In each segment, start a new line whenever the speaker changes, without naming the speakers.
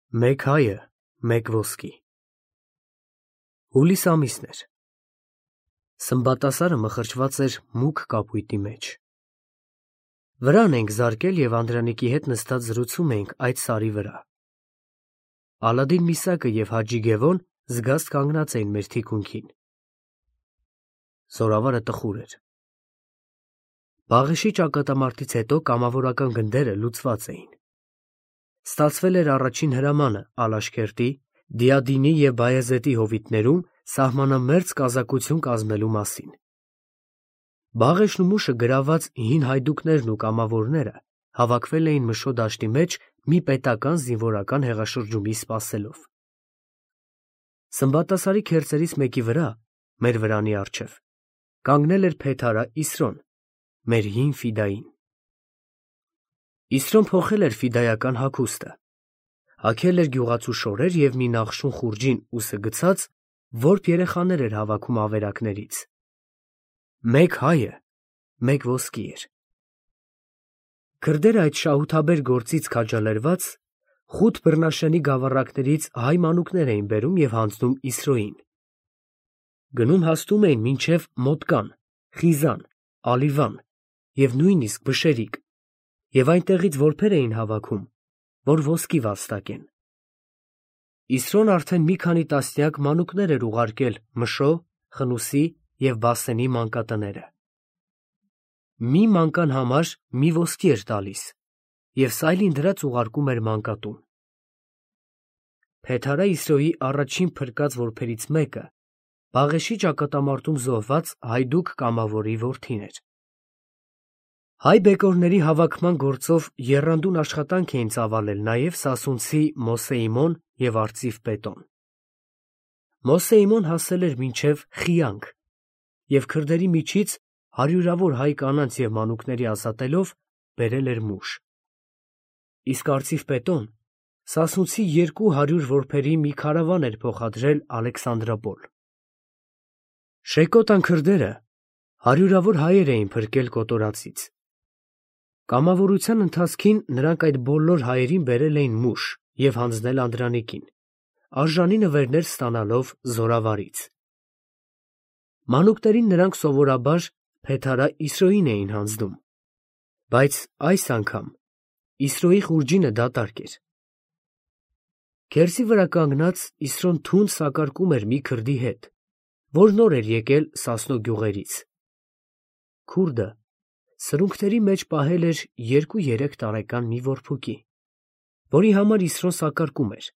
Մեկ հայը, մեկ ոսկի։ Հուլիս ամիսն էր։ Սմբատասարը մխրճված էր մուգ կապույտի մեջ։ Վրան էինք զարկել և Անդրանիկի հետ նստած զրուցում էինք այդ սարի վրա։ Ալադին Միսակը և Հաջի Գևոն զգաստ կանգնած էին մեր թիկունքին։ Զորավարը տխուր էր։ Բաղեշի ճակատամարտից հետո կամավորական գնդերը լուծված էին։ Ստացվել էր առաջին հրամանը Ալաշկերտի, Դիադինի և Բայազետի հովիտներում սահմանամերձ կազակություն կազմելու մասին։ Բաղեշն ու Մուշը գրաված հին հայդուկներն ու կամավորները հավաքվել էին Մշո դաշտի մեջ մի պետական զինվորական հեղաշրջումի սպասելով։ Սմբատասարի քերծերից մեկի վրա, մեր վրանի առջև, կանգնել էր Փեթարա Իսրոն, մեր հին ֆիդային։ Իսրոն փոխել էր ֆիդայական հագուստը, հագել էր գյուղացու շորեր և մի նախշուն խուրջին ուսը գցած, որբ երեխաներ էր հավաքում ավերակներից։ Մեկ հայը, մեկ ոսկի էր։ Քրդերը այդ շահութաբեր գործից քաջալերված խուտ բռնաշենի գավառակներից հայ մանուկներ էին բերում և հանձնում Իսրոյին։ Գնում հասնում էին մինչև Մոտկան, Խիզան, Ալիվան և նույնիսկ Բշերիկ, և այնտեղից որբեր էին հավաքում, որ ոսկի վաստակեն։ Իսրոն արդեն մի քանի տասնյակ մանուկներ էր ուղարկել Մշո, Խնուսի և Բասենի մանկատները։ Մի մանկան համար մի ոսկի էր տալիս, և սայլին դրած ուղարկում էր մանկատուն։ Փեթարա Իսրոյի առաջին փրկած որբերից մեկը Բաղեշի ճակատամարտում զոհված հայդուկ կամավորի որդին էր։ Հայ բեկորների հավաքման գործով եռանդուն աշխատանք էին ծավալել նաև Սասունցի Մոսեիմոն և Արծիվ Պետոն։ Մոսեիմոն հասել էր մինչև Խիանք և քրդերի միջից հարյուրավոր հայ կանանց և մանուկների ազատելով բերել էր Մուշ։ Իսկ Արծիվ Պետոն Սասունցի 200 որբերի մի քարավան էր փոխադրել Ալեքսանդրապոլ։ Շեկոտան քրդերը հարյուրավոր հայեր էին փրկել կոտորածից։ Կամավորության ընթացքին նրանք այդ բոլոր հայերին բերել էին Մուշ և հանձնել Անդրանիկին, արժանի նվերներ ստանալով զորավարից։ Մանուկներին նրանք սովորաբար Փեթարա Իսրոյին էին հանձնում, բայց այս անգամ Իսրոյի խուրջինը դատարկ էր։ Քերծի վրա կանգնած Իսրոն թունդ սակարկում էր մի քրդի հետ, որ նոր էր եկել Սասնո գյուղերից։ Քուրդը սրունքների մեջ պահել էր 2-3 տարեկան մի որբուկի, որի համար Իսրոն սակարկում էր,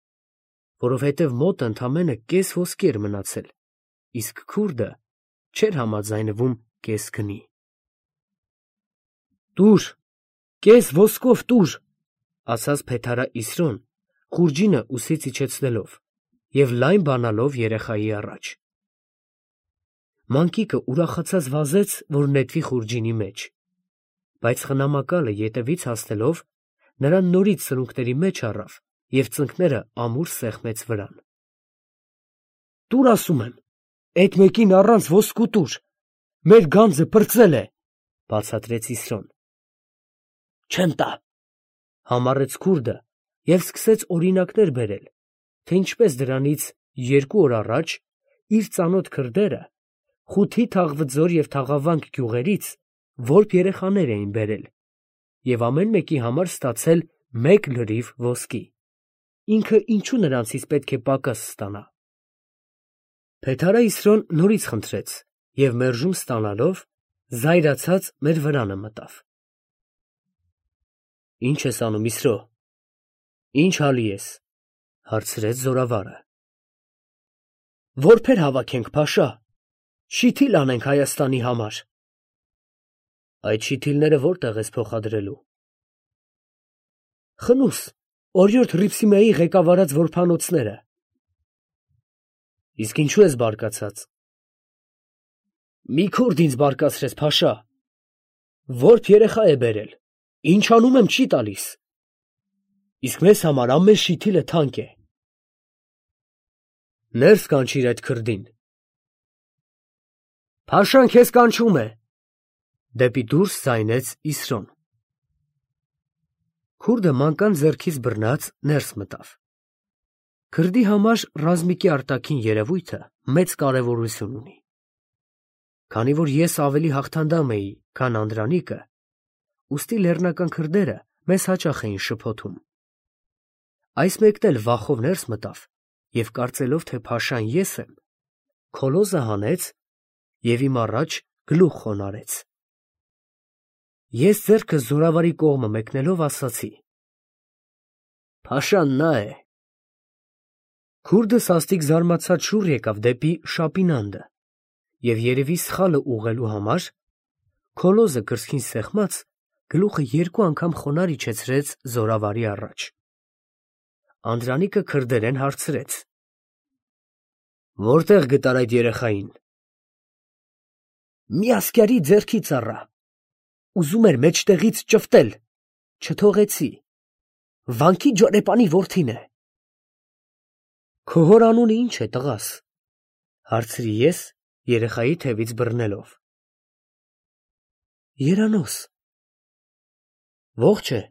որովհետև մոտը ընդամենը կես ոսկի էր մնացել, իսկ քուրդը չէր համաձայնվում կես գնի։ «Տուր, կես ոսկով տուր», ասաց Փեթարա Իսրոն, խուրջինը ուսից իջեցնելով և լայն բանալով երեխայի առաջ։ Մանկիկը ուրախացած վազեց, որ նետվի խուրջինի մեջ, բայց խնամակալը ետևից հասնելով նրան նորից սրունքների մեջ առավ և ծնկները ամուր սեղմեց վրան։ «Տուր, ասում եմ, էդ մեկին առանց ոսկու տուր, մեր գանձը պրծել է», բացատրեց Իսրոն։ «Չեմ տա», համառեց քուրդը և սկսեց օրինակներ բերել, թե ինչպես դրանից 2 օր առաջ իր ծանոթ քրդերը Խութի Թաղվձոր և Թաղավանք գյուղերից որբ երեխաներ էին բերել և ամեն մեկի համար ստացել 1 լրիվ ոսկի, ինքը ինչու նրանցից պետք է պակաս ստանա։ Փեթարա Իսրոն նորից խնդրեց և մերժում ստանալով զայրացած մեր վրանը մտավ։ «Ի՞նչ ես անում, Իսրո, ի՞նչ հալի ես», հարցրեց զորավարը։ «Որբեր հավաքենք, Փաշա, շիթիլ անենք Հայաստանի համար»։ «Այդ շիթիլները որտե՞ղ ես փոխադրելու»։ «Խնուս, օրիորդ Հռիփսիմեի ղեկավարած որբանոցները»։ «Իսկ ինչու ես բարկացած»։ «Մի քուրդ ինձ բարկացրեց, Փաշա, որբ երեխա է բերել, ինչ անում եմ չի տալիս, իսկ մեզ համար ամեն շիթիլը թանկ է»։ «Ներս կանչիր այդ քրդին»։ «Փաշան քեզ կանչում է», դեպի դուրս ձայնեց Իսրոն։ Քուրդը մանկան ձեռքից բռնած ներս մտավ։ Քրդի համար ռազմիկի արտաքին երևույթը մեծ կարևորություն ունի։ Քանի որ ես ավելի հաղթանդամ էի, քան Անդրանիկը, ուստի լեռնական քրդերը մեզ հաճախ էին շփոթում։ Այս մեկն էլ վախով ներս մտավ և կարծելով, թե փաշան ես եմ, քոլոզը հանեց և իմ առաջ գլուխ խոնարհեց։ Ես ձեռքս զորավարի կողմը մեկնելով ասացի. «Փաշան նա է»։ Քուրդը սաստիկ զարմացած շուռ եկավ դեպի Շապինանդը և երևի սխալը ուղղելու համար քոլոզը կրծքին սեղմած գլուխը 2 անգամ խոնարհ իջեցրեց զորավարի առաջ։ Անդրանիկը քրդերեն հարցրեց. «Որտեղ գտար այդ երեխային»։ «Մի ասկյարի ձեռքից առա, ուզում էր մեջտեղից ճվտել, չթողեցի, Վանքի ջորեպանի որդին է»։ «Քո հոր անունը ի՞նչ է, տղաս», հարցրի ես, երեխայի թևից բռնելով։ «Երանոս»։ «Ողջ է»։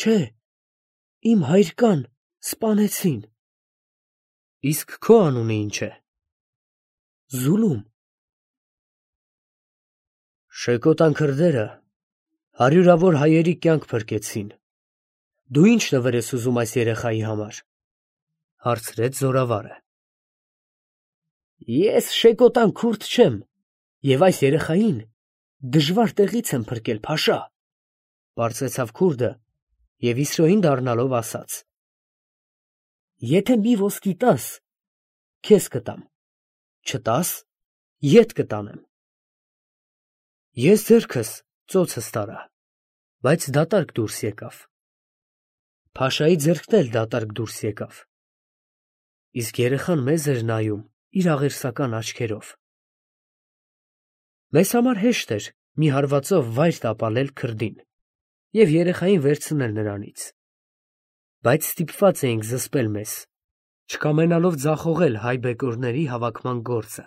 «Չէ, իմ հայրկան սպանեցին»։ «Իսկ քո անունը ի՞նչ է»։ «Զուլում»։ «Շեկոտան քրդերը հարյուրավոր հայերի կյանք փրկեցին, դու ի՞նչ նվեր ես ուզում այս երեխայի համար», հարցրեց զորավարը։ «Ես շեկոտան քուրդ չեմ և այս երեխային դժվար տեղից եմ փրկել, փաշա», պարզեցավ քուրդը և իսրոյին դառնալով ասաց. «Եթե մի ոսկի տաս, քեզ կտամ, չտաս, ետ կտանեմ»։ Ես ձեռքս ծոցս տարա, բայց դատարկ դուրս եկավ։ Փաշայի ձեռքն էլ դատարկ դուրս եկավ, իսկ երեխան մեզ էր նայում իր աղերսական աչքերով։ Մեզ համար հեշտ էր մի հարվածով վայր տապալել քրդին և երեխային վերցնել նրանից, բայց ստիպված էինք զսպել մեզ, չկամենալով ձախողել հայ բեկորների հավաքման գործը,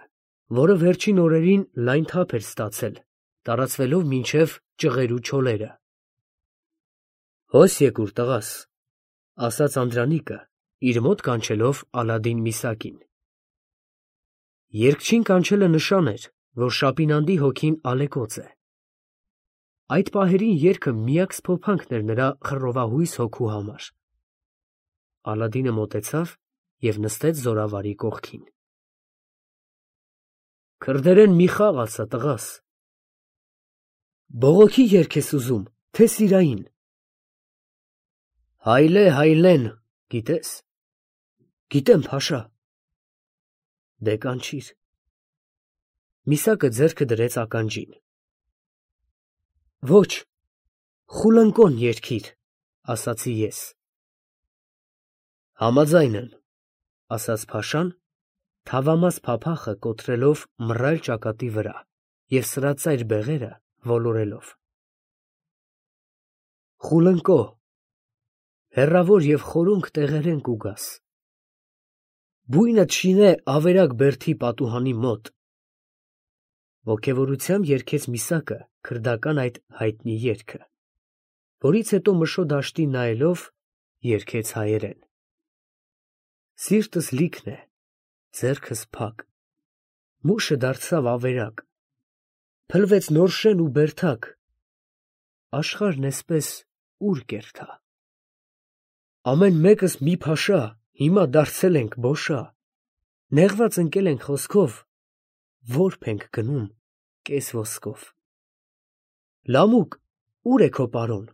որը վերջին օրերին լայն թափ էր ստացել, տարածվելով մինչև Ճղերու չոլերը։ «Հոս եկուր, տղաս», ասաց Անդրանիկը, իր մոտ կանչելով Ալադին Միսակին։ Երգչին կանչելը նշան էր, որ Շապինանդի հոգին ալեկոծ է։ Այդ պահերին երգը միակ սփոփանքն էր նրա խռովահույս հոգու համար։ Ալադինը մոտեցավ և նստեց զորավարի կողքին։ «Քրդերեն մի խաղ ասա, տղաս»։ «Բողոքի երգ ես ուզում, թե սիրային»։ «Հայլե, հայլեն» գիտե՞ս։ «Գիտեմ, փաշա»։ «Դե կանչիր»։ Միսակը ձեռքը դրեց ականջին։ «Ոչ, խուլընկոն երգիր», ասացի ես։ «Համաձայն եմ», ասաց փաշան, թավամաս փափախը կոտրելով մռայլ ճակատի վրա և սրածայր բեղերը ոլորելով։ Խուլընկո, հեռավոր և խորունկ տեղերեն կուգաս, բույնդ շինե ավերակ բերդի պատուհանի մոտ։ Ոգևորությամբ երգեց Միսակը քրդական այդ հայտնի երգը, որից հետո Մշո դաշտին նայելով երգեց հայերեն. Սիրտս լիքն է, ձեռքս փակ, մուշը դարձավ ավերակ, փլվեց նոր շեն ու բերդակ, աշխարհն էսպես ուր կերթա։ Ամեն մեկս մի փաշա, հիմա դարձել ենք բոշա, նեղված ընկել ենք խոսքով, որբ ենք գնում կես ոսկով։ Լամուկ, ուր է քո պարոն,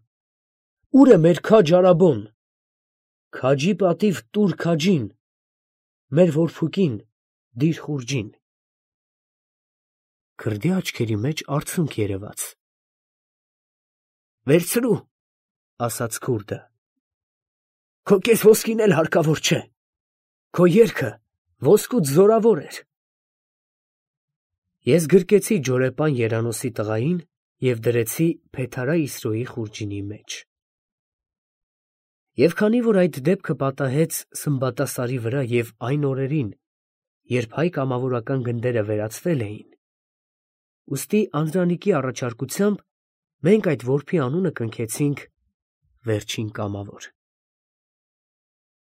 ուր է մեր քաջ արաբոն, քաջի պատիվ տուր քաջին, մեր որփուկին դիր խուրջին։ Քրդի աչքերի մեջ արցունք երևաց։ «Վերցրու», ասաց քուրդը, «քո կես ոսկին էլ հարկավոր չէ, քո երգը ոսկուց զորավոր էր»։ Ես գրկեցի ջորեպան Երանոսի տղային և դրեցի Փեթարա Իսրոյի խուրջինի մեջ։ Եվ քանի որ այդ դեպքը պատահեց Սմբատասարի վրա և այն օրերին, երբ հայ կամավորական գնդերը վերացվել էին, ուստի Անդրանիկի առաջարկությամբ մենք այդ որբի անունը կնքեցինք Վերջին կամավոր։